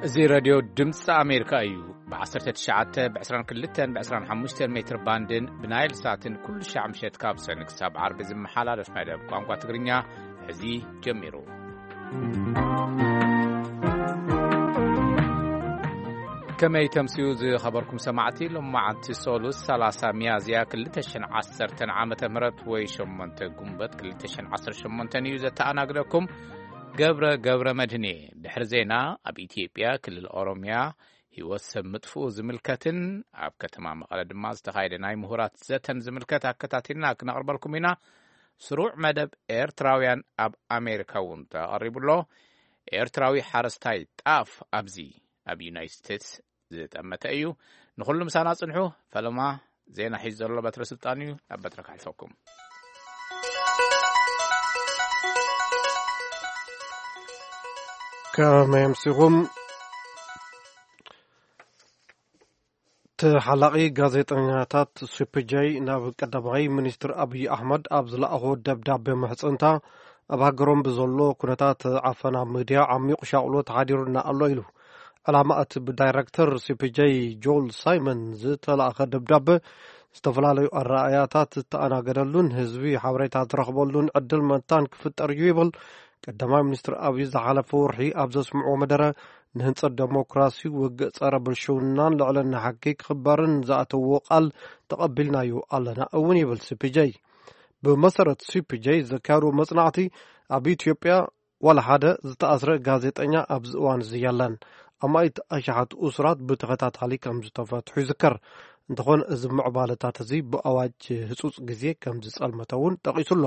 እዚ ሬድዮ ድምፂ ኣሜሪካ እዩ። ብ19፣ ብ22፣ ብ25 ሜትር ባንድን ብናይል ሳትን ኩሉ ሻዕ ምሸት ካብ ሰኒ ክሳብ ዓርቢ ዝመሓላለፍ መደብ ቋንቋ ትግርኛ ሕዚ ጀሚሩ። ከመይ ተምስዩ ዝኸበርኩም ሰማዕቲ? ሎማዓንቲ ሶሉስ 30 ሚያዝያ 2010 ዓመተ ምህረት ወይ 8 ጉንበት 2018 እዩ። ዘተኣናግደኩም ገብረ ገብረ መድህን እየ። ድሕሪ ዜና፣ ኣብ ኢትዮጵያ ክልል ኦሮሚያ ህይወት ሰብ ምጥፍኡ ዝምልከትን ኣብ ከተማ መቐለ ድማ ዝተኻየደ ናይ ምሁራት ዘተን ዝምልከት ኣከታቲልና ክነቕርበልኩም ኢና። ስሩዕ መደብ ኤርትራውያን ኣብ ኣሜሪካ እውን ተቐሪቡ ኣሎ። ኤርትራዊ ሓረስታይ ጣፍ ኣብዚ ኣብ ዩናይትድ ስቴትስ ዝጠመተ እዩ። ንኹሉ ምሳና ጽንሑ። ፈለማ ዜና ሒዙ ዘሎ በትረ ስልጣን እዩ። ናብ በትረ ከሕልፈኩም። ከመይ ኣምሲኹም? ተሓላቒ ጋዜጠኛታት ሱፕጀይ ናብ ቀዳማይ ሚኒስትር ኣብይ ኣሕመድ ኣብ ዝለኣኾ ደብዳቤ ምሕጽንታ፣ ኣብ ሃገሮም ብዘሎ ኩነታት ዓፈና ሚድያ ዓሚቑ ሻቕሎት ሓዲሩና ኣሎ ኢሉ። ዕላማ እቲ ብዳይረክተር ሱፕጀይ ጆል ሳይመን ዝተላእኸ ደብዳቤ ዝተፈላለዩ ኣረኣእያታት ዝተኣናገደሉን ህዝቢ ሓበሬታ ዝረኽበሉን ዕድል መታን ክፍጠር እዩ ይብል። ቀዳማይ ሚኒስትር ኣብይ ዝሓለፈ ወርሒ ኣብ ዘስምዕዎ መደረ፣ ንህንጸት ደሞክራሲ፣ ውግእ ጸረ ብልሽውናን ልዕልና ሕጊ ክኽበርን ዝኣተዎ ቃል ተቐቢልናዮ ኣለና እውን ይብል ሲ ፒ ጄ። ብመሰረት ሲ ፒ ጄ ዘካየድዎ መጽናዕቲ፣ ኣብ ኢትዮጵያ ዋላ ሓደ ዝተኣስረ ጋዜጠኛ ኣብዚ እዋን እዚ የለን። ኣማኢት ኣሽሓት እሱራት ብተኸታታሊ ከም ዝተፈትሑ ይዝከር። እንተኾነ፣ እዚ ምዕባለታት እዚ ብኣዋጅ ህጹጽ ግዜ ከም ዝጸልመተ እውን ጠቒሱ ኣሎ።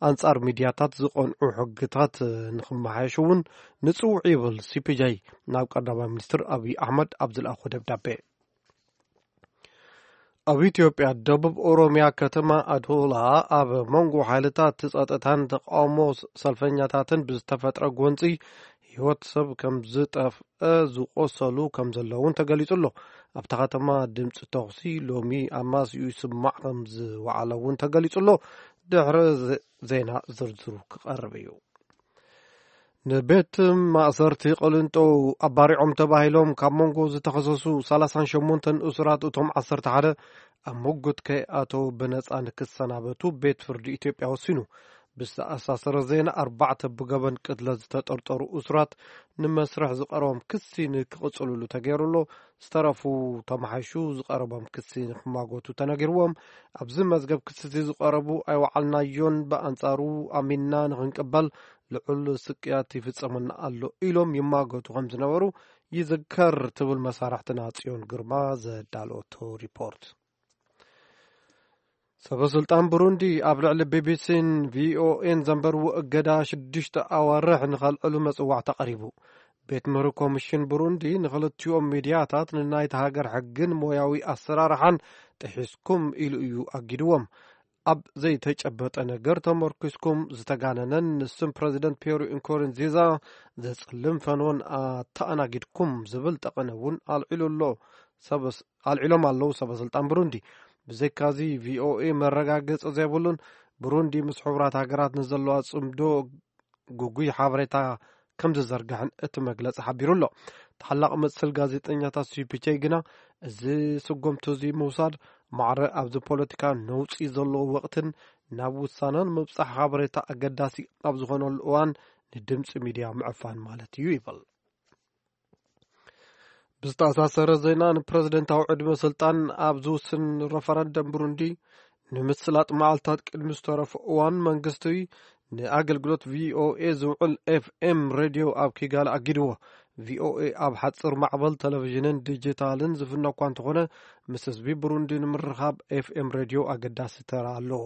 ኣንጻር ሚድያታት ዝቐንዑ ሕግታት ንኽመሓየሹ እውን ንጽውዕ ይብል ሲ ፒ ጄ ናብ ቀዳማይ ሚኒስትር ኣብይ ኣሕመድ ኣብ ዝለኣኾ ደብዳቤ። ኣብ ኢትዮጵያ ደቡብ ኦሮሚያ ከተማ ኣዶላ ኣብ መንጎ ሓይልታት ጸጥታን ተቃውሞ ሰልፈኛታትን ብዝተፈጥረ ጎንጺ ህይወት ሰብ ከም ዝጠፍአ፣ ዝቆሰሉ ከም ዘለውን ተገሊጹ ኣሎ። ኣብታ ከተማ ድምጺ ተኹሲ ሎሚ ኣማስዩ ይስማዕ ከም ዝወዓለ እውን ተገሊጹ ኣሎ። ድሕሪ ዘ-፣ ዜና ዝርዝሩ ክቐርብ እዩ። ንቤት ማእሰርቲ ቅልንጦ ኣባሪዖም ተባሂሎም ካብ መንጎ ዝተኸሰሱ 38 እሱራት፣ እቶም 11 ኣብ ምጉት ከይኣተው ብነጻ ንክሰናበቱ ቤት ፍርዲ ኢትዮጵያ ወሲኑ። ብዝተኣሳሰረ ዜና፣ ኣርባዕተ ብገበን ቅትለት ዝተጠርጠሩ እሱራት ንመስርሕ ዝቐረቦም ክሲ ንክቕጽልሉ ተገይሩ ኣሎ። ዝተረፉ ተመሓይሹ ዝቐረቦም ክሲ ንክማጎቱ ተነጊርዎም። ኣብዚ መዝገብ ክሲ እዚ ዝቐረቡ ኣይወዓልናዮን፣ ብኣንጻሩ ኣሚንና ንክንቅበል ልዑል ስቅያት ይፍጸመና ኣሎ ኢሎም ይማጎቱ ከም ዝነበሩ ይዝከር ትብል መሳርሕትና ጽዮን ግርማ ዘዳለወቶ ሪፖርት። ሰበ ስልጣን ብሩንዲ ኣብ ልዕሊ ቢ ቢ ሲን ቪ ኦ ኤን ዘንበርዎ እገዳ ሽዱሽተ ኣዋርሕ ንኸልዕሉ መጽዋዕታ ቀሪቡ። ቤት ምኽሪ ኮሚሽን ብሩንዲ ንኽልቲኦም ሚድያታት ንናይታ ሃገር ሕግን ሞያዊ ኣሰራርሓን ጥሒስኩም ኢሉ እዩ ኣጊድዎም። ኣብ ዘይተጨበጠ ነገር ተመርኪስኩም ዝተጋነነን ንስም ፕረዚደንት ፒየር ኢንኮርንዚዛ ዘጽልም ፈንዎን ኣተኣናጊድኩም ዝብል ጠቐነ እውን ኣልዒሉ ኣሎ። ሰበስ-፣ ኣልዒሎም ኣለዉ ሰበ ስልጣን ብሩንዲ። ብዘይካዚ ቪ ኦ ኤ መረጋገጺ ዘይብሉን ብሩንዲ ምስ ሕቡራት ሃገራት ንዘለዋ ጽምዶ ግጉይ ሓበሬታ ከም ዝዘርግሕን እቲ መግለጺ ሓቢሩ ኣሎ። ተሓላቒ መሰል ጋዜጠኛታት ሲ ፒ ጄ ግና፣ እዚ ስጉምቲ እዚ ምውሳድ ማዕረ ኣብዚ ፖለቲካ ነውጺ ዘለዎ ወቕትን ናብ ውሳነ ንምብጻሕ ሓበሬታ ኣገዳሲ ኣብ ዝኾነሉ እዋን ንድምጺ ሚድያ ምዕፋን ማለት እዩ ይብል። ብዝተኣሳሰረ ዜና፣ ንፕረዚደንታዊ ዕድመ ስልጣን ኣብ ዝውስን ረፈረንደም ብሩንዲ ንምስላጥ መዓልታት ቅድሚ ዝተረፈ እዋን፣ መንግስቲ ንኣገልግሎት ቪ ኦ ኤ ዝውዕል ኤፍ ኤም ሬድዮ ኣብ ኪጋሊ ኣጊድዎ። ቪ ኦ ኤ ኣብ ሓጽር ማዕበል ቴሌቪዥንን ዲጂታልን ዝፍነ እኳ እንተኾነ፣ ምስ ህዝቢ ብሩንዲ ንምርኻብ ኤፍ ኤም ሬድዮ ኣገዳሲ ተራ ኣለዎ።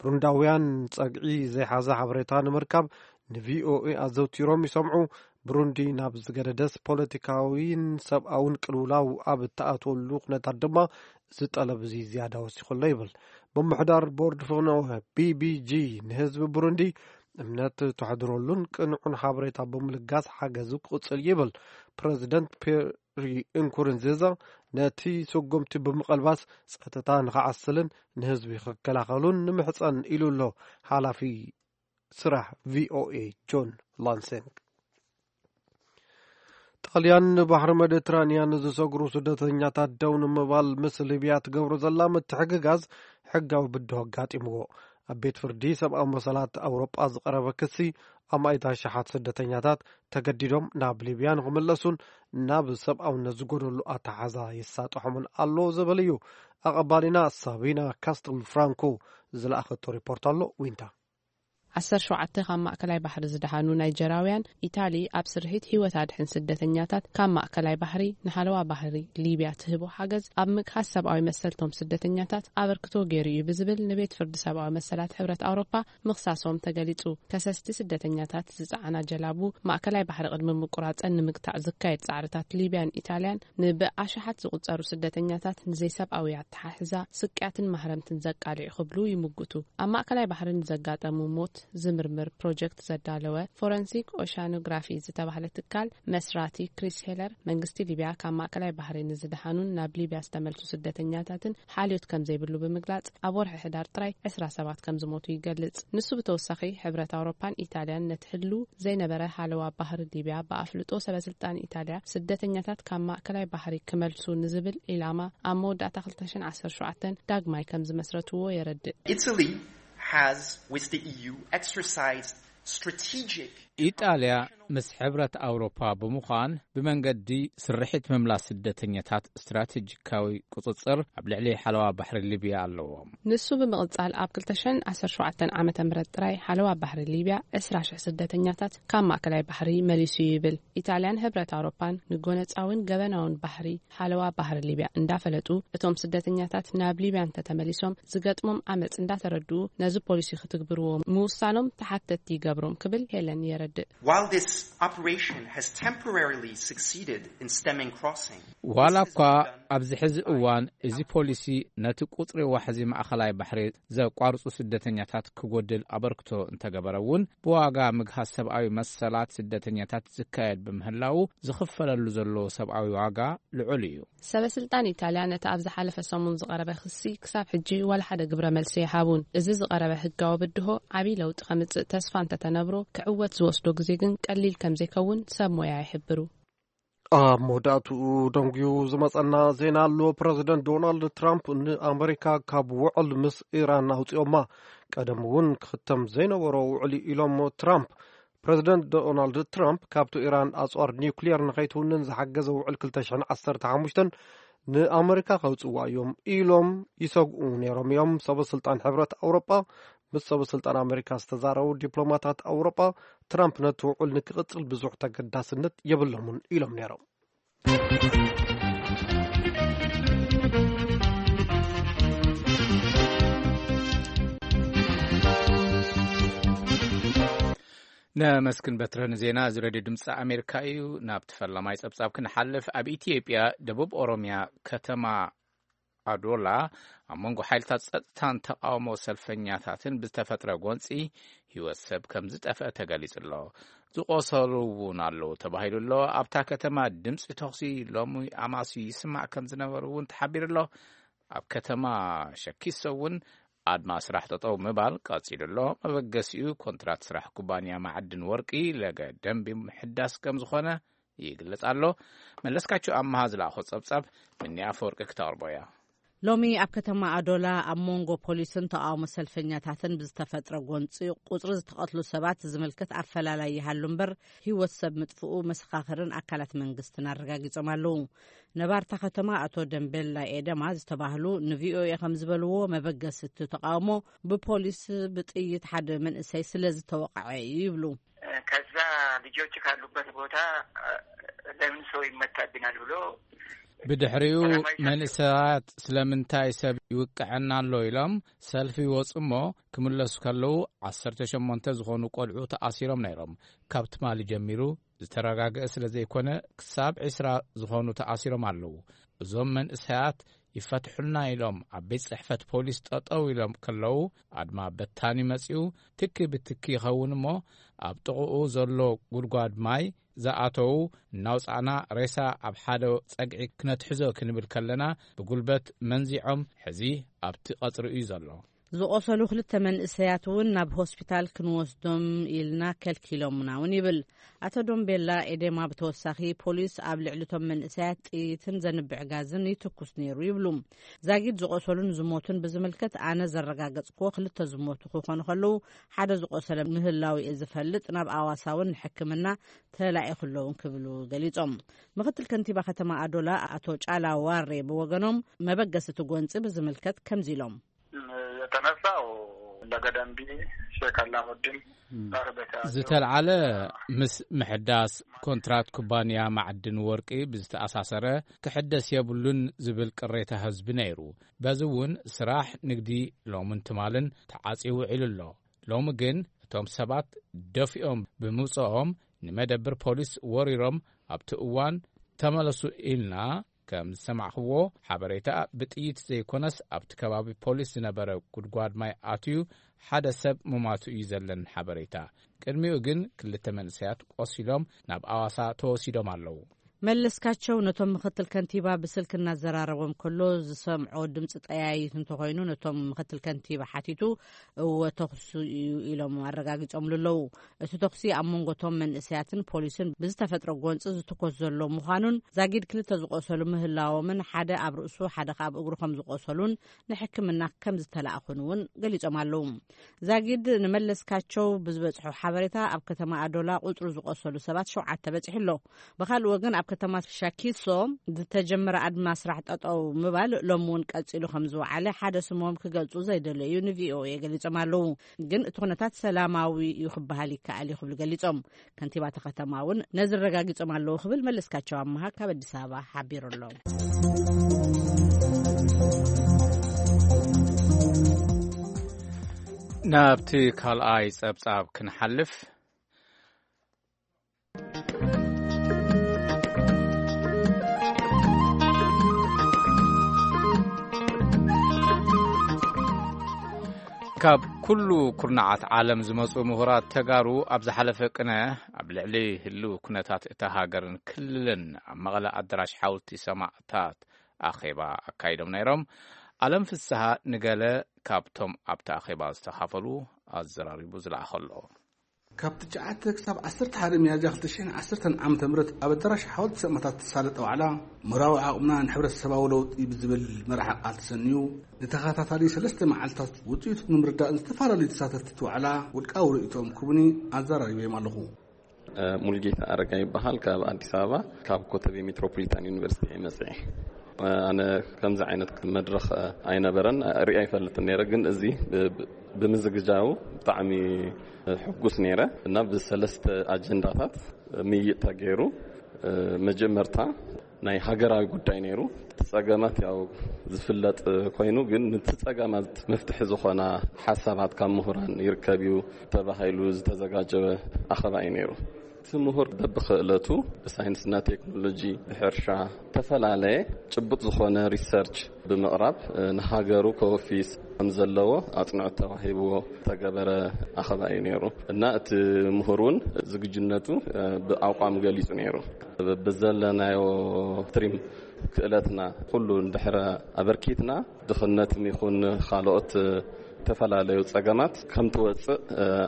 ብሩንዳውያን ጸግዒ ዘይሓዘ ሓበሬታ ንምርካብ ን ቪ ኦ ኤ ኣዘውቲሮም ይሰምዑ። ብሩንዲ ናብ ዝገደደስ፣ ፖለቲካዊን ሰብኣውን ቅልውላው ኣብ እተኣትወሉ ኩነታት ድማ፣ እዚ ጠለብ እዚ ዝያዳ ወሲኹ ኣሎ ይብል። ብምሕዳር ቦርድ ፍኖ ቢ ቢ ጂ፣ ንህዝቢ ብሩንዲ እምነት ተሕድረሉን ቅኑዕን ሓበሬታ ብምልጋስ ሓገዙ ክቕጽል ይብል። ፕረዚደንት ፒየሪ እንኩርንዚዛ ነቲ ስጉምቲ ብምቕልባስ፣ ጸጥታ ንኽዓስልን ንህዝቢ ክከላኸሉን ንምሕጸን ኢሉ ኣሎ ሓላፊ ስራሕ ቪ ኦ ኤ ጆን ላንሰንግ። ጣልያን ንባሕሪ መዲትራንያን ዝሰግሩ ስደተኛታት ደው ንምባል ምስ ሊብያ ትገብሮ ዘላ ምትሕግጋዝ ሕጋዊ ብድሆ ኣጋጢምዎ። ኣብ ቤት ፍርዲ ሰብኣዊ መሰላት ኣውሮጳ ዝቐረበ ክሲ፣ ኣማኢት ኣሽሓት ስደተኛታት ተገዲዶም ናብ ሊብያ ንኽምለሱን ናብ ሰብኣውነት ዝጎደሉ ኣተሓዛ ይሳጥሖምን ኣሎ ዝብል እዩ። ኣቐባሊና ሳቢና ካስትል ፍራንኮ ዝለኣኸቶ ሪፖርት ኣሎ። ዊንታ። ዓሰርተ ሸውዓተ ካብ ማእከላይ ባሕሪ ዝደሓኑ ናይጀራውያን፣ ኢታሊ ኣብ ስርሒት ህይወት ኣድሕን ስደተኛታት ካብ ማእከላይ ባሕሪ ንሓለዋ ባሕሪ ሊብያ ትህቦ ሓገዝ ኣብ ምግሃስ ሰብኣዊ መሰልቶም ስደተኛታት ኣበርክቶ ገይሩ እዩ ብዝብል ንቤት ፍርዲ ሰብኣዊ መሰላት ሕብረት ኣውሮፓ ምኽሳሶም ተገሊጹ። ከሰስቲ ስደተኛታት ዝጸዓና ጀላቡ ማእከላይ ባሕሪ ቅድሚ ምቁራጸን ንምግታዕ ዝካየድ ጻዕርታት ሊብያን ኢታልያን ንብኣሽሓት ዝቁጸሩ ስደተኛታት ንዘይሰብኣዊ ኣተሓሕዛ ስቅያትን ማህረምትን ዘቃልዕ ክብሉ ይምጉቱ። ኣብ ማእከላይ ባሕሪ ንዘጋጠሙ ሞት ዝምርምር ፕሮጀክት ዘዳለወ ፎረንሲክ ኦሻኖግራፊ ዝተባህለ ትካል መስራቲ ክሪስ ሄለር፣ መንግስቲ ሊብያ ካብ ማእከላይ ባሕሪ ንዝደሓኑን ናብ ሊብያ ዝተመልሱ ስደተኛታትን ሓልዮት ከም ዘይብሉ ብምግላጽ፣ ኣብ ወርሒ ሕዳር ጥራይ ዕስራ ሰባት ከም ዝሞቱ ይገልጽ። ንሱ ብተወሳኺ፣ ሕብረት ኣውሮፓን ኢታልያን ነቲ ህሉ ዘይነበረ ሃለዋ ባሕሪ ሊብያ ብኣፍልጦ ሰበስልጣን ኢታልያ ስደተኛታት ካብ ማእከላይ ባሕሪ ክመልሱ ንዝብል ዒላማ ኣብ መወዳእታ ክልተ ሽሕን ዓሰርተ ሸውዓተን ዳግማይ ከም ዝመስረትዎ የረድእ። Italy has, with the E U, exercised strategic ኢጣልያ ምስ ሕብረት ኣውሮፓ ብምዃን ብመንገዲ ስርሒት ምምላስ ስደተኛታት ስትራቴጂካዊ ቁጽጽር ኣብ ልዕሊ ሓለዋ ባሕሪ ሊብያ ኣለዎም። ንሱ ብምቕጻል፣ ኣብ ክልተ ሽሕን ዓሰርተ ሸውዓተን ዓመተ ምህረት ጥራይ ሓለዋ ባሕሪ ሊብያ ዕስራ ሽሕ ስደተኛታት ካብ ማእከላይ ባሕሪ መሊሱ ይብል። ኢጣልያን ሕብረት ኣውሮፓን ንጎነጻውን ገበናውን ባሕሪ ሓለዋ ባሕሪ ሊብያ እንዳፈለጡ፣ እቶም ስደተኛታት ናብ ሊብያ እንተተመሊሶም ዝገጥሞም ዓመጽ እንዳተረድኡ፣ ነዚ ፖሊሲ ክትግብርዎ ምውሳኖም ተሓተትቲ ይገብሮም ክብል ሄለን የረድእ። While this operation has temporarily succeeded in stemming crossing, ዋላ እኳ ኣብዚ ሕዚ እዋን እዚ ፖሊሲ ነቲ ቁጽሪ ዋሕዚ ማእከላይ ባሕሪ ዘቋርጹ ስደተኛታት ክጎድል ኣበርክቶ እንተገበረ እውን፣ ብዋጋ ምግሃስ ሰብኣዊ መሰላት ስደተኛታት ዝካየድ ብምህላዉ፣ ዝኽፈለሉ ዘሎ ሰብኣዊ ዋጋ ልዑል እዩ። ሰበስልጣን ኢጣልያ ነቲ ኣብ ዝሓለፈ ሰሙን ዝቐረበ ክሲ ክሳብ ሕጂ ዋላ ሓደ ግብረ መልሲ ኣይሃቡን። እዚ ዝቐረበ ህጋዊ ብድሆ ዓብዪ ለውጢ ከምጽእ ተስፋ እንተተነብሮ፣ ክዕወት ዝወስዶ ግዜ ግን ቀሊል ከም ዘይከውን ሰብ ሞያ ይሕብሩ። ኣብ መወዳእትኡ ደንጉዩ ዝመጸና ዜና ኣሎ። ፕረዚደንት ዶናልድ ትራምፕ ንኣመሪካ ካብ ውዕል ምስ ኢራን ኣውጺኦማ። ቀደም እውን ክኽተም ዘይነበሮ ውዕል ኢሎም ትራምፕ። ፕረዚደንት ዶናልድ ትራምፕ ካብቲ ኢራን ኣጽዋር ኒውክሊየር ንኸይትውንን ዝሓገዘ ውዕል ክልተ ሽሕን ዓሰርተ ሓሙሽተን ንኣመሪካ ከውጽዋ እዮም ኢሎም ይሰግኡ ነይሮም እዮም። ሰበ ስልጣን ሕብረት ኣውሮጳ ምስ ሰበ ስልጣን ኣመሪካ ዝተዛረቡ ዲፕሎማታት ኣውሮጳ፣ ትራምፕ ነቲ ውዕል ንክቕጽል ብዙሕ ተገዳስነት የብሎምን ኢሎም ነይሮም። ነመስግን በትረ ንዜና። እዚ ሬድዮ ድምፂ ኣሜሪካ እዩ። ናብቲ ፈላማይ ፀብፃብ ክንሓልፍ፣ ኣብ ኢትዮጵያ ደቡብ ኦሮሚያ ከተማ ኣዶላ ኣብ መንጎ ሓይልታት ጸጥታን ተቓውሞ ሰልፈኛታትን ብዝተፈጥረ ጎንጺ ህይወት ሰብ ከም ዝጠፍአ ተገሊጹ ኣሎ። ዝቆሰሉ እውን ኣለዉ ተባሂሉ ኣሎ። ኣብታ ከተማ ድምጺ ተኹሲ ሎሚ ኣማስዩ ይስማዕ ከም ዝነበሩ እውን ተሓቢሩ ኣሎ። ኣብ ከተማ ሸኪሶ እውን ኣድማ ስራሕ ጠጠው ምባል ቀጺሉ ኣሎ። መበገሲኡ ኮንትራት ስራሕ ኩባንያ ማዕድን ወርቂ ለገ ደንቢ ምሕዳስ ከም ዝኾነ ይግለጽ ኣሎ። መለስካቸው ኣመሃ ዝለኣኾ ጸብጻብ፣ ምኒ ኣፈወርቂ ክተቕርቦ እያ። ሎሚ ኣብ ከተማ ኣዶላ ኣብ መንጎ ፖሊስን ተቓውሞ ሰልፈኛታትን ብዝተፈጥረ ጎንፂ ቁፅሪ ዝተቐትሉ ሰባት ዝምልከት ኣፈላላይ ይሃሉ እምበር፣ ህይወት ሰብ ምጥፍኡ መሰኻኽርን ኣካላት መንግስትን ኣረጋጊጾም ኣለዉ። ነባርታ ከተማ ኣቶ ደምቤላ ኤደማ ዝተባህሉ ንቪኦኤ ከም ዝበልዎ፣ መበገሲ እቲ ተቓውሞ ብፖሊስ ብጥይት ሓደ መንእሰይ ስለ ዝተወቕዐ እዩ ይብሉ። ከዛ ልጆች ካሉበት ቦታ ለምን ሰው ይመታብናል ብሎ ብድሕሪኡ ሰላማዊ ሰልፍ መንእሰያት ስለምንታይ ሰብ ይውቅዐና ኣሎ ኢሎም ሰልፊ ይወፁ እሞ፣ ክምለሱ ከለዉ ዓሰርተ ሸሞንተ ዝኾኑ ቆልዑ ተኣሲሮም ነይሮም። ካብ ትማሊ ጀሚሩ ዝተረጋግአ ስለ ዘይኮነ፣ ክሳብ ዕስራ ዝኾኑ ተኣሲሮም ኣለዉ። እዞም መንእሰያት ይፈትሑልና ኢሎም ኣብ ቤት ጽሕፈት ፖሊስ ጠጠው ኢሎም ከለዉ፣ ኣድማ በታኒ መጺኡ ትኪ ብትኪ ይኸውን እሞ፣ ኣብ ጥቕኡ ዘሎ ጉድጓድ ማይ ዝኣተዉ እናውጻእና ሬሳ ኣብ ሓደ ጸግዒ ክነትሕዞ ክንብል ከለና፣ ብጉልበት መንዚዖም ሕዚ ኣብቲ ቀጽሪ እዩ ዘሎ። ዝቖሰሉ ክልተ መንእሰያት እውን ናብ ሆስፒታል ክንወስዶም ኢልና ከልኪሎምና እውን ይብል። ኣቶ ዶምቤላ ኤዴማ ብተወሳኺ ፖሊስ ኣብ ልዕሊ እቶም መንእሰያት ጥይትን ዘንብዕ ጋዝን ይትኩስ ነይሩ ይብሉ። ዛጊድ ዝቖሰሉን ዝሞቱን ብዝምልከት ኣነ ዘረጋገጽክዎ ክልተ ዝሞቱ ክኾኑ ከለዉ ሓደ ዝቖሰለ ምህላው እየ ዝፈልጥ። ናብ ኣዋሳ እውን ንሕክምና ተላኢኹ ኣለውን ክብሉ ገሊጾም። ምክትል ከንቲባ ከተማ ኣዶላ ኣቶ ጫላ ዋሬ ብወገኖም መበገሲ እቲ ጎንፂ ብዝምልከት ከምዚ ኢሎም። የተነሳው ለገደምቢ ሼክ አላሙዲን ጋር በተያያዘ ዝተልዓለ ምስ ምሕዳስ ኮንትራት ኩባንያ ማዕድን ወርቂ ብዝተኣሳሰረ ክሕደስ የብሉን ዝብል ቅሬታ ህዝቢ ነይሩ። በዚ እውን ስራሕ ንግዲ ሎምን ትማልን ተዓፅዩ ውዒሉ ኣሎ። ሎሚ ግን እቶም ሰባት ደፊኦም ብምውፅኦም ንመደብር ፖሊስ ወሪሮም ኣብቲ እዋን ተመለሱ ኢልና ከም ዝሰማዕኽዎ ሓበሬታ ብጥይት ዘይኮነስ ኣብቲ ከባቢ ፖሊስ ዝነበረ ጉድጓድ ማይ ኣትዩ ሓደ ሰብ ምማቱ እዩ ዘለን ሓበሬታ። ቅድሚኡ ግን ክልተ መንእሰያት ቆሲሎም ናብ ኣዋሳ ተወሲዶም ኣለዉ። መለስካቸው ነቶም ምክትል ከንቲባ ብስልክ እናዘራረቦም ከሎ ዝሰምዖ ድምፂ ጠያይት እንተኾይኑ ነቶም ምክትል ከንቲባ ሓቲቱ እወ ተኹሲ እዩ ኢሎም ኣረጋጊጾምሉ ኣለዉ። እቲ ተኹሲ ኣብ መንጎቶም መንእሰያትን ፖሊስን ብዝተፈጥረ ጎንፂ ዝትኮስ ዘሎ ምዃኑን ዛጊድ ክልተ ዝቆሰሉ ምህላዎምን ሓደ ኣብ ርእሱ ሓደ ከኣ ኣብ እግሩ ከም ዝቆሰሉን ንሕክምና ከም ዝተላእኹን እውን ገሊጾም ኣለዉ። ዛጊድ ንመለስካቸው ብዝበጽሖ ሓበሬታ ኣብ ከተማ ኣዶላ ቁጽሩ ዝቆሰሉ ሰባት ሸውዓተ በጺሑ ኣሎ። ብኻልእ ወገን ኣብ ከተማ ሻኪሶ ዝተጀመረ ኣድማ ስራሕ ጠጠው ምባል ሎም እውን ቀጺሉ ከም ዝወዓለ ሓደ ስሞም ክገልጹ ዘይደለዩ ንቪኦኤ ገሊጾም ኣለዉ። ግን እቲ ኩነታት ሰላማዊ እዩ ክበሃል ይከኣል እዩ ክብሉ ገሊጾም። ከንቲባቲ ከተማ እውን ነዚ ኣረጋጊጾም ኣለዉ ክብል መለስካቸው ኣመሃ ካብ ኣዲስ ኣበባ ሓቢሩ ኣሎ። ናብቲ ካልኣይ ጸብጻብ ክንሓልፍ። ካብ ኩሉ ኩርናዓት ዓለም ዝመጹ ምሁራት ተጋሩ ኣብ ዝሓለፈ ቅነ ኣብ ልዕሊ ህልው ኩነታት እታ ሃገርን ክልልን ኣብ መቐለ ኣዳራሽ ሓወልቲ ሰማእታት ኣኼባ ኣካይዶም ነይሮም። ኣለም ፍስሃ ንገለ ካብቶም ኣብቲ ኣኼባ ዝተኻፈሉ ኣዘራሪቡ ዝለኣኸሎ። ካብ ትሽዓተ ክሳብ ዓሰርተ ሓደ ሚያዝያ ክልተ ሽሕን ዓሰርተን ዓመተ ምህረት ኣብ ኣዳራሽ ሓወልቲ ሰማእታት ዝተሳለጠ ዋዕላ ምሁራዊ ዓቕምና ንሕብረተሰባዊ ለውጢ ብዝብል መርሓ ቃል ተሰንዩ ንተኸታታሊ ሰለስተ መዓልታት ውፅኢቱ ንምርዳእ ዝተፈላለዩ ተሳተፍቲ እቲ ዋዕላ ውልቃዊ ርእይቶኦም ክቡኒ ኣዘራሪበዮም ኣለኹ። ሙልጌታ ኣረጋ ይበሃል። ካብ ኣዲስ ኣበባ ካብ ኮተቤ ሜትሮፖሊታን ዩኒቨርሲቲ እየ መፅኤ። ኣነ ከምዚ ዓይነት መድረኽ ኣይነበረን ርኢ ኣይፈልጥን ነይረ፣ ግን እዚ ብምዝግጃው ብጣዕሚ ሕጉስ ነይረ እና ብሰለስተ ኣጀንዳታት ምይጥ ተገይሩ። መጀመርታ ናይ ሃገራዊ ጉዳይ ነይሩ። እቲ ጸገማት ያው ዝፍለጥ ኮይኑ፣ ግን ነቲ ጸገማት መፍትሒ ዝኾና ሓሳባት ካብ ምሁራን ይርከብ እዩ ተባሂሉ ዝተዘጋጀወ ኣኸባ እዩ ነይሩ። እቲ ምሁር በብኽእለቱ ብሳይንስና ቴክኖሎጂ፣ ብሕርሻ፣ ዝተፈላለየ ጭቡጥ ዝኾነ ሪሰርች ብምቕራብ ንሃገሩ ከወፊስ ከም ዘለዎ ኣጽንዖት ተዋሂብዎ ዝተገበረ ኣኸባ እዩ ነይሩ እና እቲ ምሁር እውን ዝግጅነቱ ብኣቋም ገሊጹ ነይሩ። ብዘለናዮ ትሪም ክእለትና ኩሉ እንድሕረ ኣበርኪትና ድኽነትም ይኹን ካልኦት ዝተፈላለዩ ጸገማት ከም ትወጽእ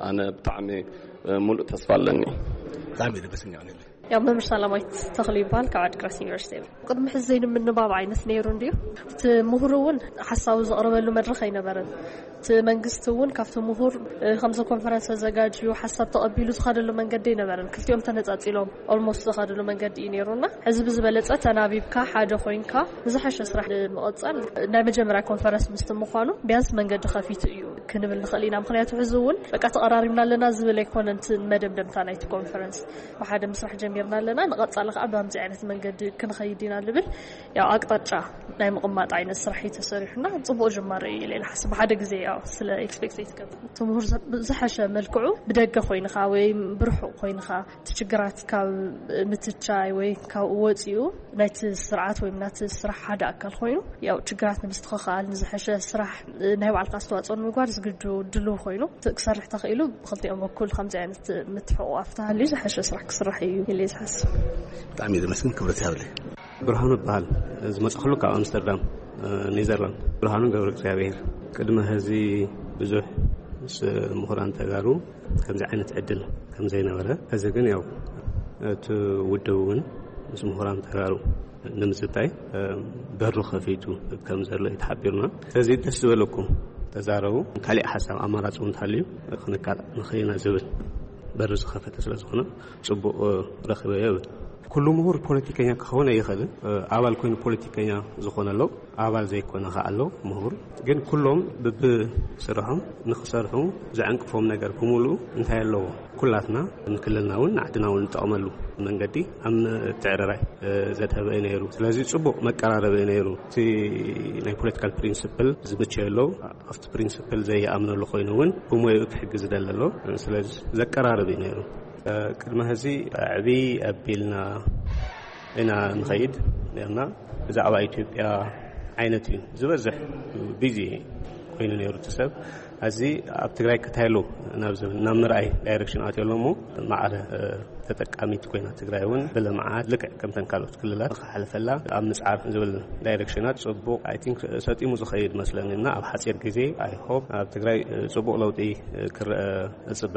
ኣነ ብጣዕሚ ሙሉእ ተስፋ ኣለኒ። ብጣዕሚ ደበስኛ ሆነለ። ያው መምህር ሰላማዊት ተኽሉ ይባል ካብ ዓድግራት ዩኒቨርሲቲ። ቅድሚ ሕዚ ዘይንምንባብ ዓይነት ነይሩ እንድዩ። እቲ ምሁር እውን ሓሳቡ ዘቕርበሉ መድረኽ ኣይነበረን። እቲ መንግስቲ እውን ካብቲ ምሁር ከምዚ ኮንፈረንስ ኣዘጋጅዩ ሓሳብ ተቐቢሉ ዝኸደሉ መንገዲ ኣይነበረን። ክልቲኦም ተነጻጺሎም ኦልሞስት ዝኸደሉ መንገዲ እዩ ነይሩና። ሕዚ ብዝበለጸ ተናቢብካ ሓደ ኮይንካ ንዝሓሸ ስራሕ ንምቕጻል ናይ መጀመርያ ኮንፈረንስ ምስቲ ምዃኑ ቢያንስ መንገዲ ከፊቱ እዩ ክንብል ንኽእል ኢና። ምኽንያቱ ሕዚ እውን በቃ ተቐራሪብና ኣለና ዝብል ኣይኮነን እቲ መደምደምታ ናይቲ ኮንፈረንስ። ብሓደ ምስራሕ ጀሚርና ኣለና፣ ንቐጻሊ ከዓ ብኣምዚ ዓይነት መንገዲ ክንኸይድ ኢና ዝብል ያው ኣቅጣጫ ናይ ምቕማጥ ዓይነት ስራሕ እዩ ተሰሪሑና። ጽቡቕ ጅማሮ እዩ ኢለ ኢለ ሓስብ። ብሓደ ግዜ ያው ስለ ኤክስፔክት ኣይትገብር። እቲ ምሁር ዝሓሸ መልክዑ ብደገ ኮይንኻ ወይ ብርሑቕ ኮይንኻ እቲ ችግራት ካብ ምትቻይ ወይ ካብ ወፂኡ ናይቲ ስርዓት ወይ ናቲ ስራሕ ሓደ ኣካል ኮይኑ ያው ችግራት ንምስትኽኻል ንዝሐሸ ስራሕ ናይ ባዕልካ ኣስተዋፅኦ ንምግባር ዝግጁ ድልው ኮይኑ ክሰርሕ ተኽኢሉ ብክልቲኦም በኩል ከምዚ ዓይነት ምትሕቑቓፍ ተሃልዩ ዝሐሸ ስራሕ ክስራሕ እዩ ኢለ ዝሓስብ። ብጣዕሚ እዩ ዘመስግን ክብረት ይሃብለይ። ብርሃኑ እበሃል። ዝመጻእኩሉ ካብ ኣምስተርዳም። ኔዘርላንድ። ብርሃኑ ገብረ እግዚኣብሔር። ቅድሚ ሕዚ ብዙሕ ምስ ምሁራን ተጋሩ ከምዚ ዓይነት ዕድል ከም ዘይነበረ፣ ሕዚ ግን ያው እቲ ውድብ እውን ምስ ምሁራን ተጋሩ ንምዝታይ በሩ ከፊቱ ከም ዘሎ እዩ ተሓቢሩና። ስለዚ ደስ ዝበለኩም ተዛረቡ። ካሊእ ሓሳብ ኣማራፂ እውን እንተሃልዩ ክንካታዕ ንኽእል ኢና ዝብል በሪ ዝኸፈተ ስለ ዝኾነ ጽቡቕ ረኺበዮ ይብል። ኩሉ ምሁር ፖለቲከኛ ክኸውን ኣይኽእልን። ኣባል ኮይኑ ፖለቲከኛ ዝኾነ ኣሎ፣ ኣባል ዘይኮነ ከኣ ኣሎ ምሁር። ግን ኩሎም ብብስርሖም ንኽሰርሑ ዘዕንቅፎም ነገር ብምሉኡ እንታይ ኣለዎ? ኩላትና ንክልልና እውን ንዓድና እውን ንጠቕመሉ መንገዲ ኣብ ምትዕርራይ ዘድሀበ እዩ ነይሩ። ስለዚ ጽቡቕ መቀራረቢ እዩ ነይሩ። እቲ ናይ ፖለቲካል ፕሪንስፕል ዝምቸዮ ኣሎ፣ ኣብቲ ፕሪንስፕል ዘይኣምነሉ ኮይኑ እውን ብሞይኡ ክሕግዝ ዝደሊ ኣሎ። ስለዚ ዘቀራርብ እዩ ነይሩ። ቅድሚ ሕዚ ዕብይ ኣቢልና ኢና ንኸይድ ነርና። ብዛዕባ ኢትዮጵያ ዓይነት እዩ ዝበዝሕ ቢዚ ኮይኑ ነይሩ እቲ ሰብ። እዚ ኣብ ትግራይ ክታየሉ ናብ ዝብል ናብ ምርኣይ ዳይሬክሽን ኣትዮ ኣሎ እሞ ማዕረ ተጠቃሚት ኮይና ትግራይ እውን ብልምዓት ልክዕ ከምተን ካልኦት ክልላት ክሓልፈላ ኣብ ምፅዓር ዝብል ዳይሬክሽናት ጽቡቕ፣ I think፣ ሰጢሙ ዝኸይድ መስለኒ እና ኣብ ሓፂር ግዜ I hope ኣብ ትግራይ ጽቡቕ ለውጢ ክረአ እጽበ።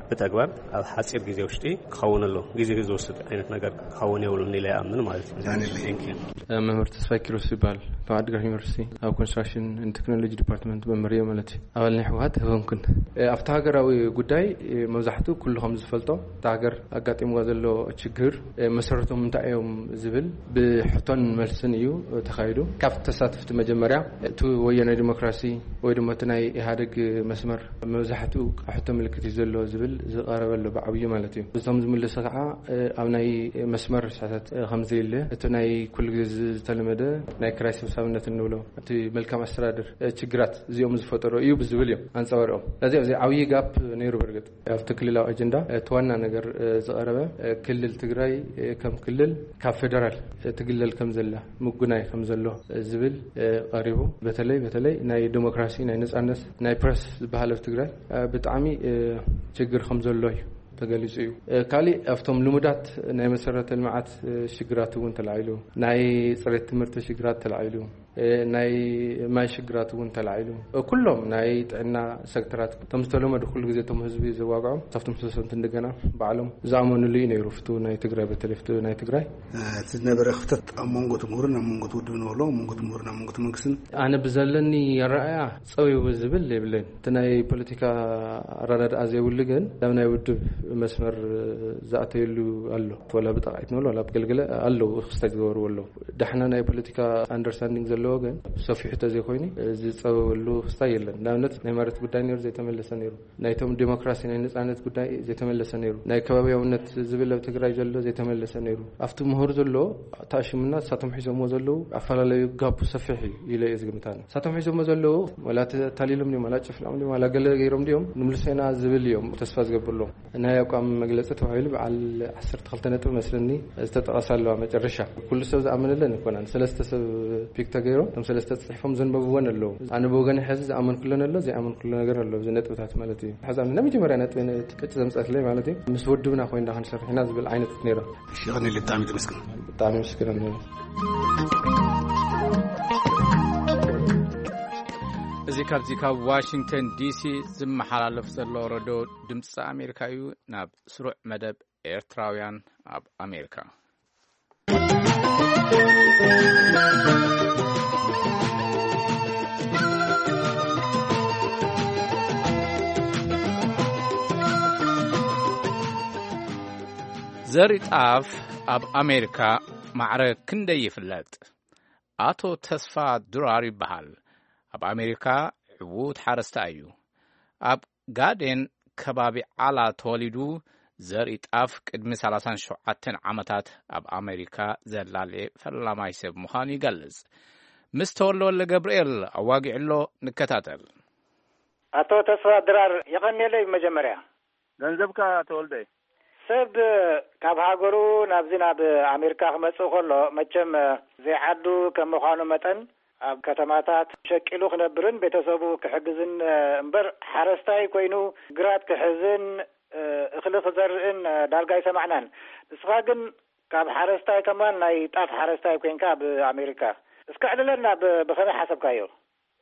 ብተግባር ኣብ ሓፂር ግዜ ውሽጢ ክኸውን ኣሎ። ግዜ ዝወስድ ዓይነት ነገር ክኸውን የብሉን ኢለ ይኣምን ማለት እዩ። ዳንኤል። Thank you። መምህር ተስፋይ ኪሮስ ይባል፣ ካብ ዓዲግራት ዩኒቨርሲቲ ኣብ ኮንስትራክሽን ኤንድ ቴክኖሎጂ ዲፓርትመንት መምህር እየ ማለት እዩ። ኣባል ናይ ህወሓት ኣይኮንኩን። ኣብቲ ሃገራዊ ጉዳይ መብዛሕትኡ ኩሉ ከም ዝፈልጦ፣ እታ ሃገር ኣጋጢምዋ ዘሎ ችግር መሰረቶም እንታይ እዮም ዝብል ብሕቶን መልስን እዩ ተኻይዱ። ካብቲ ተሳተፍቲ መጀመርያ እቲ ወያናይ ዲሞክራሲ ወይ ድማ እቲ ናይ ኢህኣደግ መስመር መብዛሕትኡ ሕቶ ምልክት እዩ ዘሎ ዝብል ዝቐረበ ኣሎ ብዓብዩ ማለት እዩ። እቶም ዝምልሱ ከዓ ኣብ ናይ መስመር ርሳታት ከም ዘየለ፣ እቲ ናይ ኩሉ ግዜ ዝተለመደ ናይ ክራይ ሰብሳብነት እንብሎ፣ እቲ መልካም ኣስተዳደር ችግራት እዚኦም ዝፈጠሩ እዩ ብዝብል እዮም ኣንፀባሪኦም። ስለዚ ኣብዚ ዓብዪ ጋፕ ነይሩ። በርግጥ ኣብቲ ክልላዊ ኣጀንዳ እቲ ዋና ነገር ዝቐረበ ክልል ትግራይ ከም ክልል ካብ ፌደራል ትግለል ከም ዘላ፣ ምጉናይ ከም ዘሎ ዝብል ቀሪቡ። በተለይ በተለይ ናይ ዲሞክራሲ፣ ናይ ነፃነት፣ ናይ ፕረስ ዝበሃል ኣብ ትግራይ ብጣዕሚ ችግር ከም ዘሎ እዩ ተገሊጹ እዩ። ካሊእ ኣብቶም ልሙዳት ናይ መሰረተ ልምዓት ሽግራት እውን ተላዒሉ፣ ናይ ፅሬት ትምህርቲ ሽግራት ተላዒሉ፣ ናይ ማይ ሽግራት እውን ተላዒሉ፣ ኩሎም ናይ ጥዕና ሴክተራት፣ እቶም ዝተለመዱ ኩሉ ግዜ እቶም ህዝቢ ዘዋግዖም፣ ካብቶም ሰሰምቲ እንደገና ባዕሎም ዝኣመኑሉ እዩ ነይሩ። ፍትው ናይ ትግራይ፣ በተለይ ፍትው ናይ ትግራይ። እቲ ዝነበረ ክፍተት ኣብ መንጎ እቲ ምሁርን ኣብ መንጎ እቲ ውድብን ኣሎ፣ ኣብ መንጎ እቲ ምሁርን ኣብ መንጎ እቲ መንግስትን። ኣነ ብዘለኒ ኣረኣእያ ጸው ይብል ዝብል የብለይን። እቲ ናይ ፖለቲካ ኣረዳድኣ ዘይብሉ ግን ናብ ናይ ውድብ መስመር ዝኣተየሉ ኣሎ። ወላ ብጠቕዒት ንብሎ፣ ወላ ብገልገለ ኣለዉ፣ ክስታይ ዝገበርዎ ኣለዉ። ዳሕና ናይ ፖለቲካ ኣንደርስታንዲንግ ዘለዎ ግን ሰፊሑ ተዘይኮይኑ ዝጸበበሉ ክስታይ የለን። ንኣብነት ናይ መሬት ጉዳይ ነይሩ፣ ዘይተመለሰ ነይሩ። ናይቶም ዲሞክራሲ ናይ ነጻነት ጉዳይ ዘይተመለሰ ነይሩ። ናይ ከባቢያውነት ዝብል ኣብ ትግራይ ዘሎ ዘይተመለሰ ነይሩ። ኣብቲ ምሁር ዘሎ ተኣሽምና ንሳቶም ሒዞምዎ ዘለዉ ኣፈላለዩ ጋፑ ሰፊሕ እዩ ኢለ እየ ዝግምት ኣነ። ንሳቶም ሒዞምዎ ዘለዉ ዋላ ተታሊሎም ድዮም፣ ዋላ ጨፍሊቖም ድዮም፣ ዋላ ገለ ገይሮም ድዮም፣ ንምልሶ ኢና ዝብል እዮም ተስፋ ዝገብርሎም። ናይ ኣቋም መግለጺ ተባሂሉ በዓል ዓሰርተ ክልተ ነጥቢ መስለኒ ዝተጠቐሳ ኣለዋ መጨረሻ። ኩሉ ሰብ ዝኣመነለን ኣይኮናን። ሰለስተ ሰብ ፒክ ተገይሮም፣ እቶም ሰለስተ ጽሒፎም ዘንበብወን ኣለዉ። ኣነ ብወገነይ ሕዚ ዝኣመንኩለን ኣሎ፣ ዘይኣመንኩሉ ነገር ኣሎ፣ እዚ ነጥብታት ማለት እዩ። ሕዚ ኣነ ናይ መጀመርያ ነጥቢ ቀጭ ዘምጸትለይ ማለት እዩ፣ ምስ ውድብና ኮይና ክንሰርሕ ኢና ዝብል ዓይነት ነይራ። እሺ፣ ይቐንየለይ፣ ብጣዕሚ ተመስገን። ብጣዕሚ ምስግን ኣለና። እዚ ካብዚ ካብ ዋሽንግተን ዲሲ ዝመሓላለፍ ዘሎ ረድዮ ድምፂ ኣሜሪካ እዩ። ናብ ስሩዕ መደብ ኤርትራውያን ኣብ ኣሜሪካ። ዘርኢ ጣፍ ኣብ ኣሜሪካ ማዕረ ክንደይ ይፍለጥ? ኣቶ ተስፋ ድራር ይበሃል። ኣብ ኣሜሪካ ዕዉት ሓረስታይ እዩ። ኣብ ጋዴን ከባቢ ዓላ ተወሊዱ፣ ዘርኢ ጣፍ ቅድሚ ሰላሳን ሸውዓተን ዓመታት ኣብ ኣሜሪካ ዘላልየ ፈላማይ ሰብ ምዃኑ ይገልጽ። ምስ ተወልደ ወልደ ገብርኤል ኣዋጊዕሎ፣ ንከታተል። ኣቶ ተስፋ ድራር፣ የቐንየለይ። መጀመርያ ገንዘብካ ተወልደ። ሰብ ካብ ሃገሩ ናብዚ ናብ ኣሜሪካ ክመጽእ ከሎ፣ መቸም ዘይዓዱ ከም ምዃኑ መጠን፣ ኣብ ከተማታት ሸቂሉ ክነብርን ቤተሰቡ ክሕግዝን እምበር፣ ሓረስታይ ኮይኑ ግራት ክሕዝን እኽሊ ክዘርእን ዳርጋ ኣይሰማዕናን። ንስኻ ግን ካብ ሓረስታይ ከማን ናይ ጣፍ ሓረስታይ ኮይንካ ኣብ ኣሜሪካ። እስከ ዕልለና ብ-፣ ብኸመይ ሓሰብካዮ?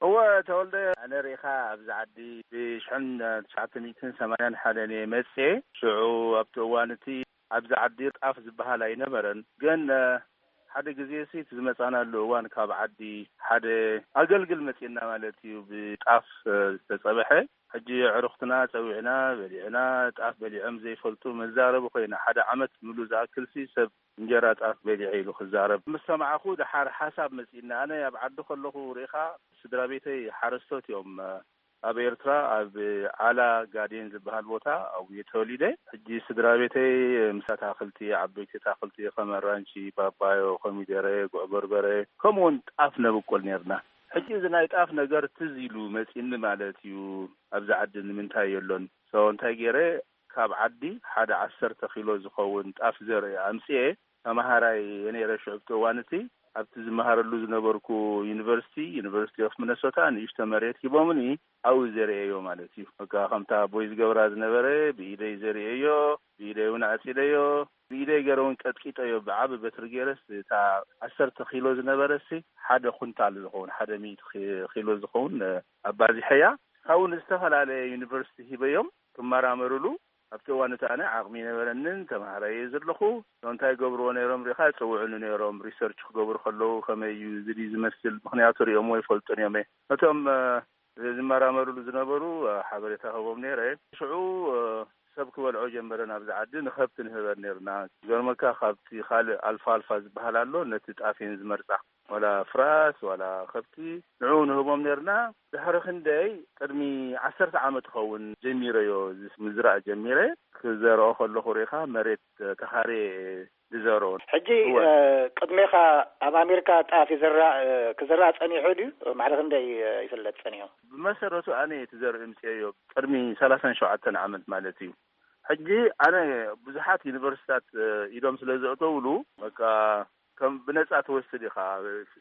እወ፣ ተወልደ፣ ኣነ ርኢኻ ኣብዚ ዓዲ ብሽሕን ትሽዓተ ሚእትን ሰማንያን ሓደን እየ መፅኤ። ሽዑ ኣብቲ እዋን እቲ ኣብዚ ዓዲ ጣፍ ዝበሃል ኣይነበረን። ግን ሓደ ግዜ ሲ እቲ ዝመፃናሉ እዋን ካብ ዓዲ ሓደ ኣገልግል መፂና ማለት እዩ። ብጣፍ ዝተፀበሐ ሕጂ ኣዕሩኽትና ጸዊዕና በሊዕና፣ ጣፍ በሊዖም ዘይፈልጡ መዛረቢ ኮይና። ሓደ ዓመት ምሉእ ዝኣክል ሲ ሰብ እንጀራ ጣፍ በሊዐ ኢሉ ክዛረብ ምስ ሰማዕኹ፣ ደሓር ሓሳብ መጺእና። ኣነ ኣብ ዓዲ ከለኹ ርኢኻ፣ ስድራ ቤተይ ሓረስቶት እዮም። ኣብ ኤርትራ ኣብ ዓላ ጋዴን ዝበሃል ቦታ ኣብኡ እየ ተወሊደ። ሕጂ ስድራ ቤተይ ምስ ኣታኽልቲ፣ ዓበይቲ ኣታኽልቲ ከም ኣራንሺ፣ ፓፓዮ፣ ኮሚደረ፣ ጉዕ በርበረ፣ ከምኡውን ጣፍ ነብቁል ነርና። ሕጂ እዚ ናይ ጣፍ ነገር ትዝ ኢሉ መጺኒ ማለት እዩ። ኣብዚ ዓዲ ንምንታይ የሎን? So እንታይ ገይረ፣ ካብ ዓዲ ሓደ ዓሰርተ ኪሎ ዝኸውን ጣፍ ዘርኢ ኣምጽኤ። ተማሃራይ እየ ነይረ ሽዑ፣ ኣብቲ እዋን እቲ ኣብቲ ዝመሃረሉ ዝነበርኩ ዩኒቨርሲቲ፣ ዩኒቨርሲቲ ኦፍ ሚነሶታ፣ ንእሽቶ መሬት ሂቦምኒ። ኣብኡ ዘርእየዮ ማለት እዩ። በቃ ከምታ ኣቦይ ዝገብራ ዝነበረ ብኢደይ ዘርእየዮ፣ ብኢደይ እውን ዓጺደዮ፣ ብኢደይ ገይረ እውን ቀጥቂጠዮ። ብዓቢ በትሪ ገይረስ እታ ዓሰርተ ኪሎ ዝነበረሲ ሓደ ኩንታል ዝኸውን፣ ሓደ ሚእቲ ኪ-፣ ኪሎ ዝኸውን ኣባዚሐያ። ካብኡ ንዝተፈላለየ ዩኒቨርሲቲ ሂበዮም ክመራመሩሉ። ኣብቲ እዋን እቲ ኣነ ዓቕሚ ይነበረንን ተምሃራይ እየ ዘለኹ። እንታይ ገብርዎ ነይሮም ሪኻ፣ ይጽውዑኒ ነይሮም። ሪሰርች ክገብሩ ከለዉ ከመይ እዩ፣ እዚ ድዩ ዝመስል? ምኽንያቱ ሪኦምዎ ይፈልጡን እዮም። ነቶም ዝመራመሩሉ ዝነበሩ ሓበሬታ ሀቦም ነይረ። ሽዑ ሰብ ክበልዖ ጀመረ። ናብዚ ዓዲ ንኸብቲ ንህበን ነርና። ገርመካ፣ ካብቲ ካልእ ኣልፋ ኣልፋ ዝበሃል ኣሎ፣ ነቲ ጣፍ እየን ዝመርጻ። ዋላ ፍራስ ዋላ ከብቲ ንዕኡ ንህቦም ነርና። ድሕሪ ክንደይ፣ ቅድሚ ዓሰርተ ዓመት ይኸውን ጀሚረዮ፣ እዚ ምዝራእ ጀሚረ። ክዘርኦ ከለኹ ርኢኻ፣ መሬት ተኻርየ ዝዘርኦ። ሕጂ እወ። እ፣ ቅድሜኻ ኣብ ኣሜሪካ ጣፍ ይዝራእ፣ እ፣ ክዝራእ ጸኒሑ ድዩ? ማዕረ ክንደይ፣ እ፣ ይፍለጥ ጸኒሑ? ብመሰረቱ ኣነ እቲ ዘርኢ ምጽኤዮ ቅድሚ ሰላሳን ሸውዓተን ዓመት ማለት እዩ። ሕጂ ኣነ ብዙሓት ዩኒቨርሲታት፣ እ፣ ኢዶም ስለ ዘእተውሉ፣ በቃ ከም ብነጻ ትወስድ ኢኻ።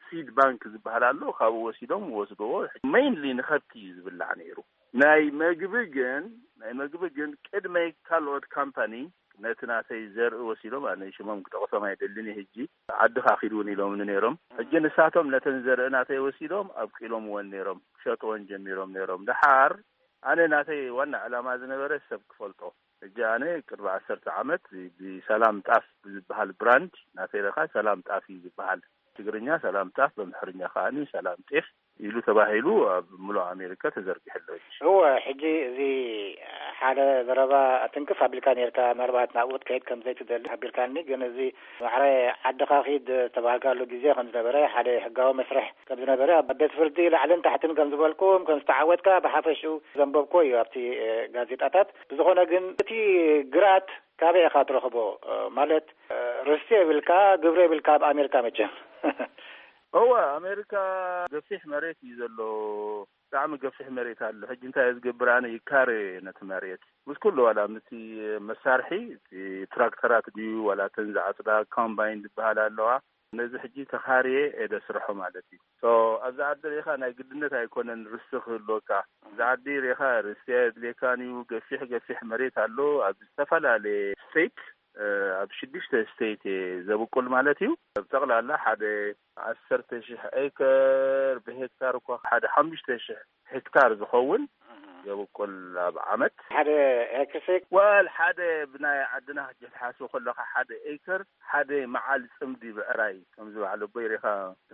ሲድ ባንክ ዝበሃል ኣሎ፣ ካብኡ ወሲዶም ወስድዎ። ሜይንሊ ንኸብቲ እዩ ዝብላዕ ነይሩ። ናይ መግቢ ግን፣ ናይ መግቢ ግን ቅድመይ ካልኦት ካምፓኒ ነቲ ናተይ ዘርኢ ወሲዶም፣ ኣነ ሽሞም ክጠቕሶም ኣይደልን እየ ሕጂ፣ ዓድኻ ኪድ እውን ኢሎምኒ ነይሮም። ሕጂ ንሳቶም ነተን ዘርኢ ናተይ ወሲዶም ኣብቂሎምወን ነይሮም፣ ክሸጥወን ጀሚሮም ነይሮም። ደሓር ኣነ ናተይ ዋና ዕላማ ዝነበረ ሰብ ክፈልጦ። ሕጂ ኣነ ቅድሚ ዓሰርተ ዓመት ብሰላም ጣፍ ብዝበሃል ብራንድ ናተይ ለካ ሰላም ጣፍ እዩ ዝበሃል። ትግርኛ ሰላም ጣፍ፣ በምሕርኛ ከኣኒ ሰላም ጤፍ ኢሉ ተባሂሉ ኣብ ምሉእ ኣሜሪካ ተዘርጊሑ ኣሎ። እወ፣ ሕጂ እዚ ሓደ ዘረባ ትንክፍ ኣቢልካ ነርካ፣ ምናልባት ናብኡ ክትከይድ ከም ዘይትደሊ ሓቢርካኒ። ግን እዚ ማዕረ ዓድኻ ኪድ ዝተባሃልካሉ ግዜ ከም ዝነበረ፣ ሓደ ሕጋዊ መስርሕ ከም ዝነበረ፣ ኣብ ቤት ፍርዲ ላዕልን ታሕትን ከም ዝበልኩም፣ ከም ዝተዓወትካ ብሓፈሽኡ ዘንበብኩዎ እዩ ኣብቲ፣ እ፣ ጋዜጣታት። ብዝኾነ ግን እቲ ግራት ካበይ ኢኻ ትረኽቦ? እ፣ ማለት፣ እ፣ ርስቲ የብልካ፣ ግብሪ የብልካ ኣብ ኣሜሪካ መቸም። እወ፣ ኣሜሪካ ገፊሕ መሬት እዩ ዘሎ። ብጣዕሚ ገፊሕ መሬት ኣሎ። ሕጂ እንታይ እየ ዝገብር ኣነ? ይካረዮ እየ ነቲ መሬት። ምስ ኩሉ ዋላ ምስቲ መሳርሒ፣ እቲ ትራክተራት ድዩ ዋላ እተን ዝዓጽዳ ኮምባይን ዝበሃላ ኣለዋ። ነዚ ሕጂ ተኻርየ እየ ደስርሖ ማለት እዩ። ሶ፣ ኣብዚ ዓዲ ርኢኻ ናይ ግድነት ኣይኮነን ርስቲ ክህልወካ። ኣብዚ ዓዲ ርኢኻ ርስቲ ኣየድልየካን እዩ። ገፊሕ ገፊሕ መሬት ኣሎ። ኣብ ዝተፈላለየ ስቴት፣ እ፣ ኣብ ሽዱሽተ ስቴት እየ ዘብቁል ማለት እዩ። ብጠቕላላ ሓደ ዓሰርተ ሺሕ ኤከር፣ ብሄክታር እኳ ሓደ ሓሙሽተ ሺሕ ሄክታር ዝኸውን የብቁል ኣብ ዓመት። ሓደ ሄክርሲ? ወል ሓደ ብናይ ዓድና ሕጂ ክትሓስብ ከለኻ ሓደ ኤከር ሓደ መዓል ጽምዲ ብዕራይ፣ ከምዚ በዓል ኣቦይ ርኢኻ፣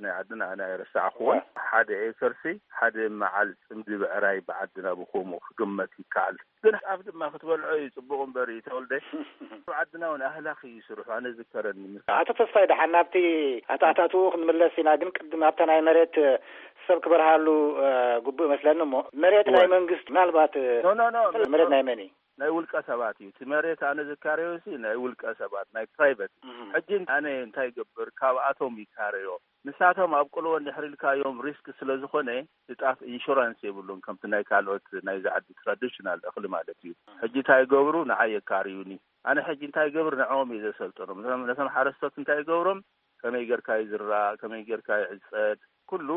ናይ ዓድና ኣነ ኣይረሳዕኩዎን። ሓደ ኤከርሲ ሓደ መዓል ጽምዲ ብዕራይ ብዓድና ብኸምኡ ክግመት ይከኣል። ግን ጣፍ ድማ ክትበልዖ እዩ ጽቡቕ እምበር እዩ ተወልደ። ኣብ ዓድና እውን ኣህላኺ ይስርሑ፣ ኣነ ዝከረኒ። ምስ ኣቶ ተስፋይ ደሓን ናብቲ ኣተኣታትውኡ ክንምለስ ኢና፣ ግን ቅድም ኣብታ ናይ መሬት ሰብ ክበርሃሉ፣ እ፣ ግቡእ መስለኒ እሞ፣ መሬት ናይ እወ። መንግስቲ ምናልባት፣ እ፣ ኖ፣ ኖ፣ ኖ፣ መሬት ኖ። ናይ መን እዩ? ናይ ውልቀ ሰባት እዩ። እቲ መሬት ኣነ ዝካረዮ ሲ ናይ ውልቀ ሰባት፣ ናይ ፕራይቨት። እህ። ሕጂ ኣነ እንታይ ይገብር? ካብኣቶም ይካረዮ። ንሳቶም ኣብቅልዎ እንድሕር ኢልካዮም ሪስክ ስለ ዝኾነ፣ ንጣፍ ኢንሹራንስ የብሉን፣ ከምቲ ናይ ካልኦት ናይዚ ዓዲ ትራዲሽናል እኽሊ ማለት እዩ። ሕጂ እንታይ ይገብሩ? ንዓይ የካርዩኒ። ኣነ ሕጂ እንታይ ይገብር? ንዕኦም እየ ዘሰልጥኖም። ነቶም፣ ነቶም ሓረስቶት እንታይ ይገብሮም? ከመይ ጌርካ ይዝራእ፣ ከመይ ጌርካ ይዕጸድ፣ ኩሉ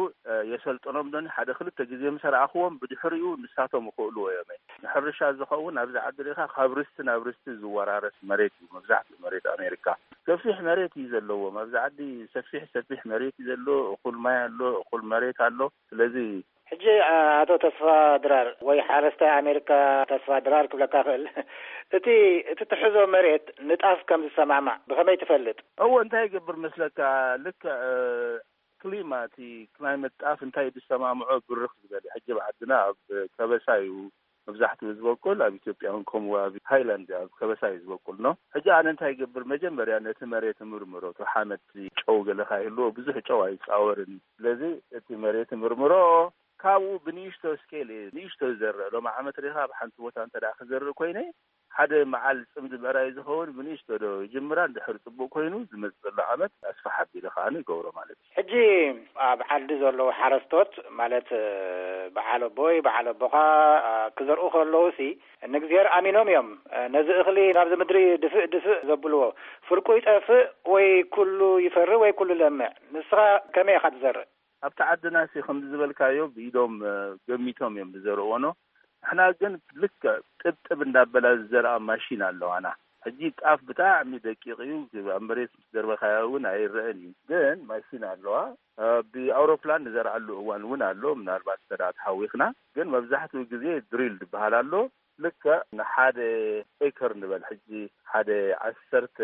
የሰልጥኖም ዶኒ ሓደ ክልተ ግዜ ምስ ኣርኣኽዎም ብድሕሪኡ ንሳቶም ይኽእልዎ እዮም። ንሕርሻ ዝኸውን ኣብዚ ዓዲ ሪኻ ካብ ርስቲ ናብ ርስቲ ዝወራረስ መሬት እዩ መብዛሕትኡ መሬት ኣሜሪካ። ሰፊሕ መሬት እዩ ዘለዎም ኣብዚ ዓዲ። ሰፊሕ ሰፊሕ መሬት እዩ ዘሎ። እኹል ማይ ኣሎ፣ እኹል መሬት ኣሎ። ስለዚ ሕጂ ኣቶ ተስፋ ድራር ወይ ሓረስታይ ኣሜሪካ ተስፋ ድራር ክብለካ ክእል እቲ እቲ ትሕዞ መሬት ንጣፍ ከም ዝሰማማዕ ብኸመይ ትፈልጥ? እዎ እንታይ ይገብር መስለካ? ልክዕ ክሊማ እቲ ክላይመት ጣፍ እንታይ ዝሰማምዖ ብርኽ ዝበለ ሕጂ ኣብ ዓድና ኣብ ከበሳ እዩ መብዛሕትኡ ዝበቁል። ኣብ ኢትዮጵያ እውን ከምኡ ኣብ ሃይላንድ ኣብ ከበሳ እዩ ዝበቁል ነው። ሕጂ ኣነ እንታይ ይገብር መጀመርያ ነቲ መሬት ምርምሮ። እቲ ሓመድ ጨው ገለካ ይህልዎ ብዙሕ ጨው ኣይፃወርን። ስለዚ እቲ መሬት ምርምሮ ካብኡ ብንእሽቶ ስኬል እየ ንእሽቶ ዝዘርእ። ሎም ዓመት ሪኻ ኣብ ሓንቲ ቦታ እንተ ክዘርእ ኮይነ ሓደ መዓል ፅምዲ ምዕራይ ዝኸውን ብንእሽቶ ዶ ይጅምራ። እንድሕር ፅቡቅ ኮይኑ ዝመፅእ ዘሎ ዓመት ኣስፋሕ ኣቢለ ከዓ ይገብሮ ማለት እዩ። ሕጂ ኣብ ዓዲ ዘለዉ ሓረስቶት ማለት በዓል ኣቦይ በዓል ኣቦኻ ክዘርኡ ከለዉ ሲ ንእግዚሔር ኣሚኖም እዮም። ነዚ እኽሊ ናብዚ ምድሪ ድፍእ ድፍእ ዘብልዎ ፍርቁ ይጠፍእ ወይ ኩሉ ይፈሪ ወይ ኩሉ ለምዕ። ንስኻ ከመይ ኢኻ ትዘርእ? ኣብቲ ዓድና ሲ ከምዚ ዝበልካዮ ብኢዶም ገሚቶም እዮም ዝዘርእዎ ነው። ንሕና ግን ልክዕ ጥብጥብ እንዳበላ ዝዘርኣ ማሽን ኣለዋና። ሕጂ ጣፍ ብጣዕሚ ደቂቕ እዩ። ኣብ መሬት ምስ ደርበኻዮ እውን ኣይረአን እዩ። ግን ማሽን ኣለዋ። ብኣውሮፕላን ንዘርኣሉ እዋን እውን ኣሎ። ምናልባት እንተ ተሓዊኽና ግን መብዛሕትኡ ግዜ ድሪል ዝበሃል ኣሎ። ልክዕ ንሓደ ኤከር ንበል ሕጂ ሓደ ዓሰርተ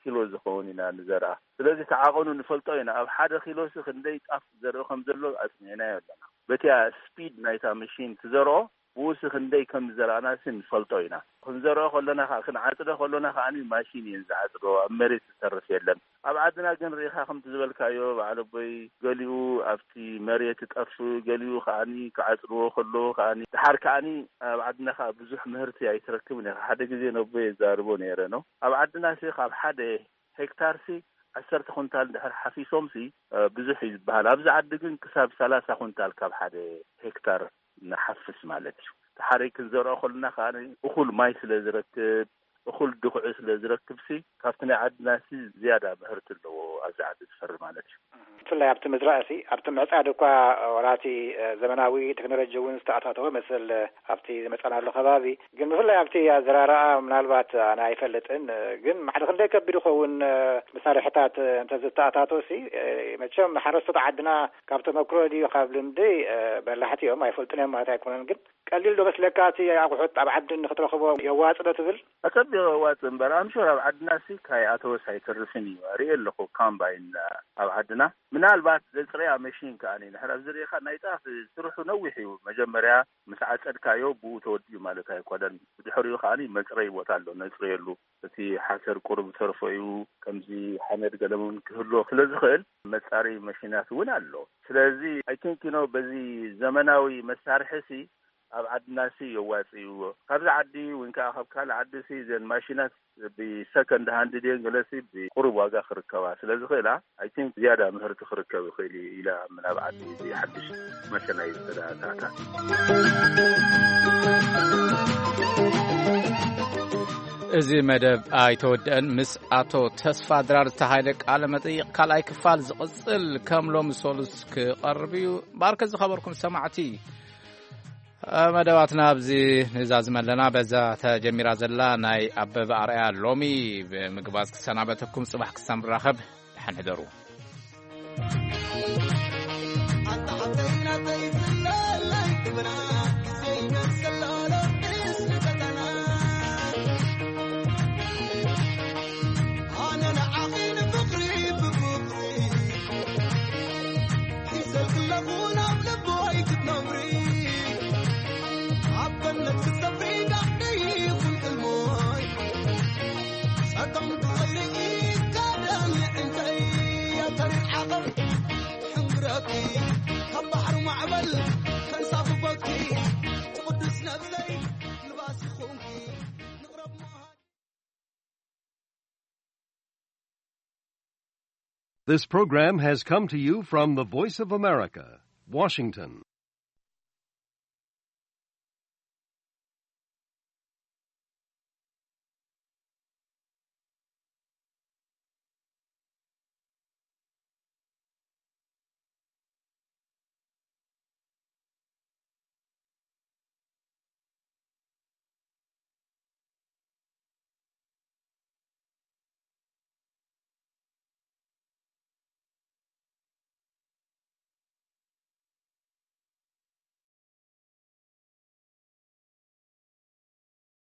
ኪሎ ዝኸውን ኢና ንዘርኣ። ስለዚ ተዓቐኑ ንፈልጦ ኢና። ኣብ ሓደ ኪሎ ሲ ክንደይ ጣፍ ዘርኢ ከም ዘሎ ኣጽኒዕናዮ ኣለና። በቲያ ስፒድ ናይታ መሽን ትዘርኦ ብኡሲ ክንደይ ከም ዝዘራእና ሲ ንፈልጦ ኢና። ክንዘርኦ ከሎና ከዓ ክንዓጽዶ ከሎና ከዓ ማሽን እየን ዝዓጽዶ። ኣብ መሬት ዝተርፍ የለን። ኣብ ዓድና ግን ርኢኻ ከምቲ ዝበልካዮ በዓል ኣቦይ ገሊኡ ኣብቲ መሬት ይጠፍእ፣ ገሊኡ ከዓ ክዓጽድዎ ከለዉ ከዓ ድሓር ከዓ ኣብ ዓድና ከዓ ብዙሕ ምህርቲ ኣይትረክብን ኢኻ። ሓደ ግዜ ነቦይ የዛርቦ ነይረ ነው። ኣብ ዓድና ሲ ካብ ሓደ ሄክታር ሲ ዓሰርተ ኩንታል ድሕር ሓፊሶም ሲ ብዙሕ እዩ ዝበሃል። ኣብዚ ዓዲ ግን ክሳብ ሰላሳ ኩንታል ካብ ሓደ ሄክታር ንሓፍስ ማለት እዩ። ድሓር ክንዘርኦ ከለና ከዓ እኹል ማይ ስለ ዝረክብ እኹል ድኹዒ ስለ ዝረክብ ሲ ካብቲ ናይ ዓድና ሲ ዝያዳ ምህርቲ ኣለዎ ኣብዚ ዓዲ ዝፈሪ ማለት እዩ። ብፍላይ ኣብቲ ምዝራእ ሲ ኣብቲ ምዕፃድ እኳ ወራቲ ዘመናዊ ቴክኖሎጂ እውን ዝተኣታተወ መስል ኣብቲ ዝመፀናሉ ከባቢ ግን ብፍላይ ኣብቲ ኣዘራርኣ ምናልባት ኣነ ኣይፈልጥን ግን ማዕድ ክንደይ ከቢድ ይኸውን መሳርሕታት እንተዝተኣታቶ ሲ መቸም ንሓረስቶት ዓድና ካብ ተመክሮ ድዩ ካብ ልምዲ በላሕቲ እዮም ኣይፈልጡን እዮም ማለት ኣይኮነን ግን ቀሊል ዶ መስለካ እቲ ኣቑሑት ኣብ ዓዲ ንክትረኽቦ የዋፅ ዶ ትብል? ኣጸቢቑ የዋጽእ እምበር ኣምሹር ኣብ ዓድና ሲ ካይ ኣተወስ ኣይተርፍን እዩ ርኢ ኣለኹ ካምባይን ኣብ ዓድና ምናልባት ዘጽረያ መሽን ከኣ ንሕር ኣብዚ ርኢኻ ናይ ጣፍ ስርሑ ነዊሕ እዩ መጀመርያ ምስ ዓጸድካዮ ብኡ ተወዲኡ ማለት ኣይኮነን ብድሕሪኡ ከኣ መጽረይ ቦታ ኣሎ ነጽርየሉ እቲ ሓሰር ቁሩብ ዝተርፎ እዩ ከምዚ ሓመድ ገለሙን ክህልዎ ስለ ዝኽእል መጻሪ መሽናት እውን ኣሎ ስለዚ I think you know በዚ ዘመናዊ መሳርሒ ሲ ኣብ ዓድና ሲ የዋጽእዎ ካብዚ ዓዲ ወይ ከዓ ካብ ካልእ ዓዲ ሲ ዘን ማሽናት ብሰከንድ ሃንድ ድየን ገለሲ ብቁሩብ ዋጋ ክርከባ ስለ ዝኽእላ I think ዝያዳ ምህርቲ ክርከብ ይኽእል እዩ ኢለ ኣምን ኣብ ዓዲ እዚ ሓድሽ መሸናይ ዝተዳታታ እዚ መደብ ኣይተወደአን ምስ ኣቶ ተስፋ ድራር ዝተሃይለ ቃለ መጠይቕ ካልኣይ ክፋል ዝቕፅል ከም ሎሚ ሰሉስ ክቐርብ እዩ ባርከ ዝኸበርኩም ሰማዕቲ መደባትና ኣብዚ ንዛዝመ ኣለና በዛ ተጀሚራ ዘላ ናይ ኣበበ ኣርኣያ ሎሚ ብምግባዝ ክሰናበተኩም ፅባሕ ክሳብ ንራኸብ ደሓን ሕደሩ This program has come to you from the Voice of America, Washington.